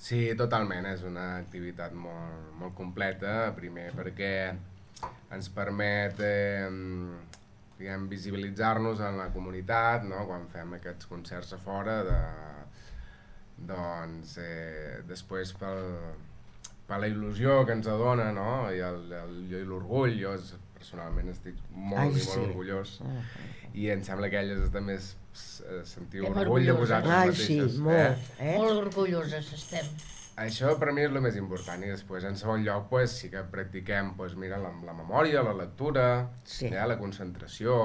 Sí, totalment, és una activitat molt completa, primer perquè ens permet diguem, visibilitzar-nos en la comunitat, no? Quan fem aquests concerts a fora, doncs després per la il·lusió que ens adona, no? I l'orgull, personalment estic Ai, molt i molt sí. orgullós, i em sembla que elles també sentiu Estem orgull de orgulloses. vosaltres Ai, sí, mateixes. molt. Molt orgulloses estem. Això per mi és el més important, i després en segon lloc pues, sí que practiquem pues, mira, la memòria, la lectura, Sí. la concentració,